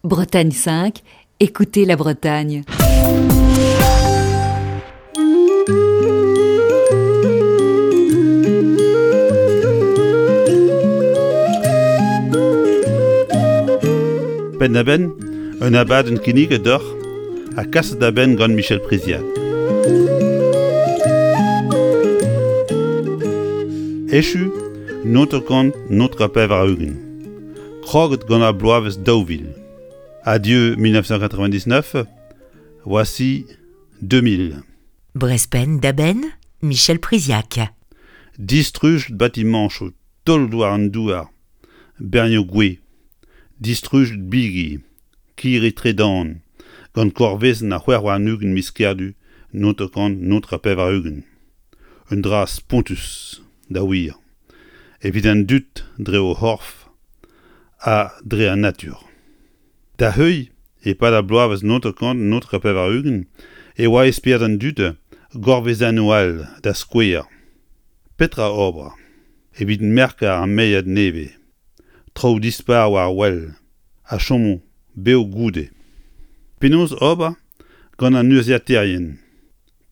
Bretagne 5, écoutez la Bretagne. Penn-da-benn, un abadenn kinniget deoc'h ha kaset da benn gant Michel Priziac. Echu noter-kant noter 80. Kroget gant ar bloavezh 2000. Adieu 1999, voici 2000. Brezhpenn da benn, Michel Priziac. Distruj batimañchoù taolet war an douar, bernioù gwez, distruj bigi, kirri tredan, gant korvezenn ar 26 miz Kerdu 1989. Un dra spontus, da wir, evit an dud dre o c'horf ha dre an natur. Da heuilh, e-pad ar bloavezh 1989 e oa e spered an dud gourvezennoù all, da skouer. Petra ober evit merkañ ar meilhad nevez, traoù dispar war wel a chomo bev goude? Penaos ober gant an urzhiataerien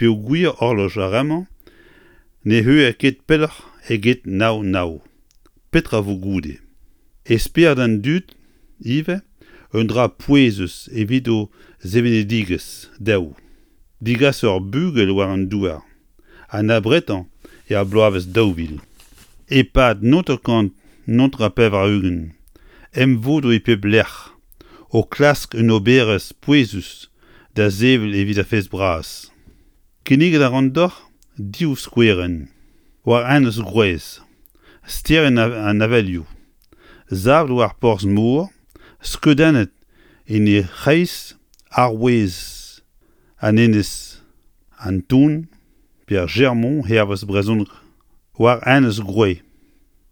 peogwir horloj ar re-mañ ne heuilh ket pelloc'h eget nav nav. Petra 'vo goude? E spered an dud ivez un dra pouezus evit o sevenidigezh dezho, degas ur bugel war an douar, an abretañ er bloavezh 2000. E-pad 1989 emvodoù e pep lec'h o klask un oberezh pouezus da sevel evit ar fest bras. Kinniget a ran deoc'h div skouerenn war Enez Groez, sterenn an avelioù, savet war porzh-mor, skeudennet en he c'hreiz arouez an enez an Ton pe ar Germont hervez brezhoneg war Enez Groez,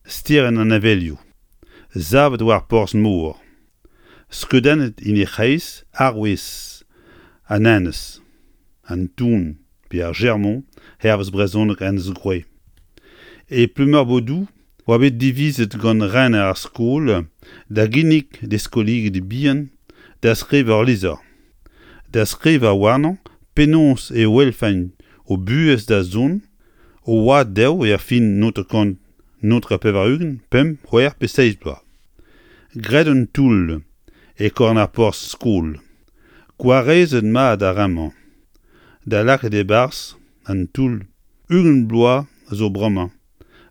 sterenn an avelioù, savet war porzh-mor, skeudennet en he c'hreiz arouez an enez an Ton pe ar Germont hervez brezhoneg Enez Groez. E Pleumeur-Bodou oa bet divizet gant rener ar skol da ginnig d'e skolidi bihan da skrivañ ul lizher, da skrivañ warnañ penaos e welfent o buhez da zont, o oad dezho er fin 1989, pemp, c'hwec'h pe seizh bloaz. Graet un toull e korn ar porzh-skol. Gwarezet mat ar re-mañ da lakaat e-barzh an toull 20 bloaz zo bremañ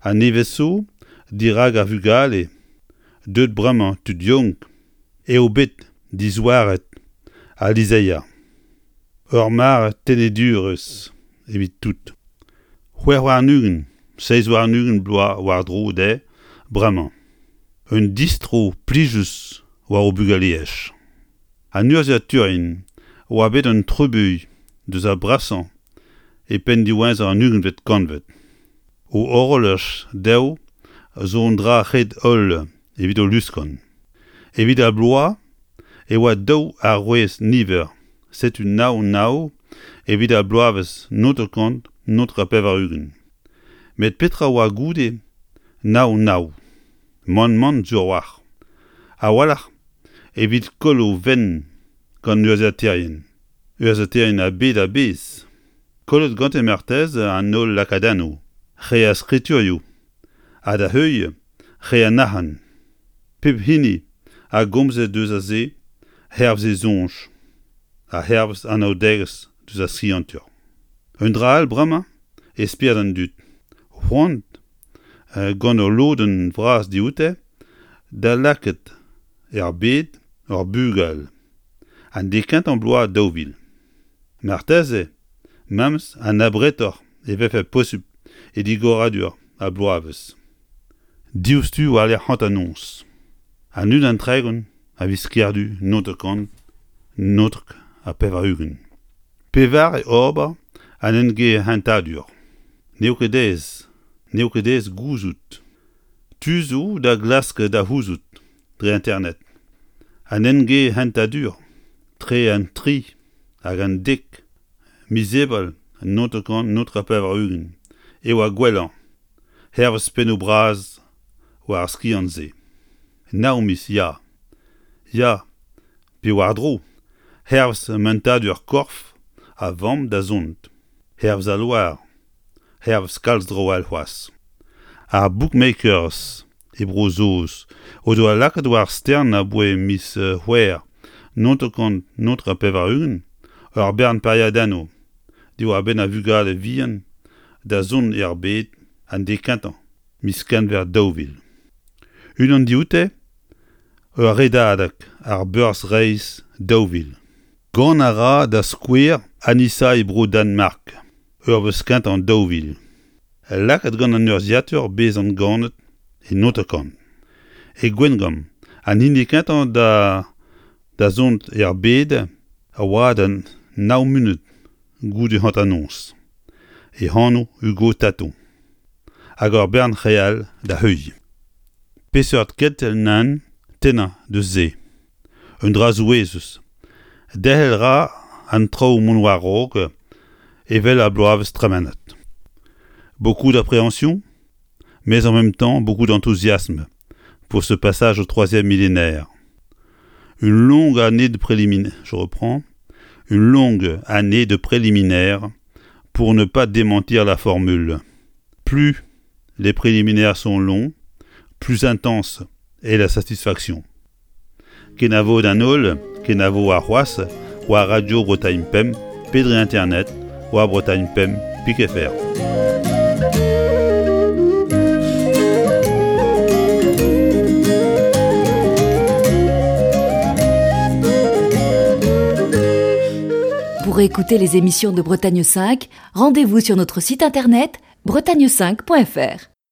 ha nevez zo dirak ar vugale deuet bremañ tud yaouank eo bet dizouaret al lizheier. Ur mare tenedurezh evit tout. 26, 27 bloaz war-dro dezhe bremañ. Un distro plijus war o bugaleaj. An urzhiataerien oa bet un trubuilh deus ar brasañ e penn diwezhañ an ugentvet kantved. O horolaj dezho zo un dra ret-holl evit o luskan. Evit ar bloaz e oa daou arouez niver, setu nav nav evit ar bloavezh 1989. Met petra oa goude nav nav? Mann-mann sur a-walc'h. A-walc'h evit koll o fenn gant urzhiataerien. Urzhiataerien a bed a-bezh. Kollet gante marteze an holl lakadennoù, re ar skriturioù, ha da heuilh re an arc'hant. Pep hini a gomze deus a se hervez e soñj ha hervez anaoudegezh deus ar skiantur. Un dra all bremañ e spered an dud, c'hoant gant ul lodenn vras dioute da lakaat er bed ur bugel an deiz kentañ bloaz 2000. Marteze memes an abretoc'h e vefe posupl e digoradur ar bloavezh. Diouzhtu war-lerc'h hanternoz. An 31 a viz Kerdu 1999. Pevare ober an engehentadur. N'eo ket aes, n'eo ket aes gouzout. Tu zo da glask da c'houzout dre internet. An engehentadur tre an tri hag an dek miz Ebrel 1989 eo ar gwellañ, hervez pennoù bras war ar skiant-se. Nav miz, ya. Ya. Pe war-dro, hervez mentadur korf a vamm da zont, hervez al loar, hervez kalz traoù all c'hoazh. Ar bookmakers e Bro-Saoz o doa lakaet war stern aboae miz C'hwevrer 1999 ur bern pariadennoù diwar-benn ar vugale vihan da zont er bed an deiz kentañ miz Genver 2000. Unan dioute ur redadeg ar beurzh-reizh 2000. Gant a ra da skouer Anissa e Bro-Danmark ur wezh kentañ 2000. Lakaet gant an urzhiatur bezañ ganet e 90. E Gwengamp, an hini kentañ da da zont er bed a oa da nav munut goude hanternoz. E anv Hugo Taton. Hag ur bern re all da heuilh. Peseurt kentel nann tennañ deus se? Un dra souezhus. Derc'hel 'ra an traoù mont war-raok evel ar bloavezh tremenet. Beaucoup d'appréhension, mais en même temps beaucoup d'enthousiasme pour ce passage au troisième millénaire. Une longue année de préliminaires, je reprends, une longue année de préliminaires pour ne pas démentir la formule. Plus les préliminaires sont longs, plus intense est la satisfaction. Kenavo d'an holl, kenavo warc'hoazh war Radio Bretagne Pemp pe dre internet war Bretagne Pemp pik fr. Pour écouter les émissions de Bretagne 5, rendez-vous sur notre site internet bretagne5.fr.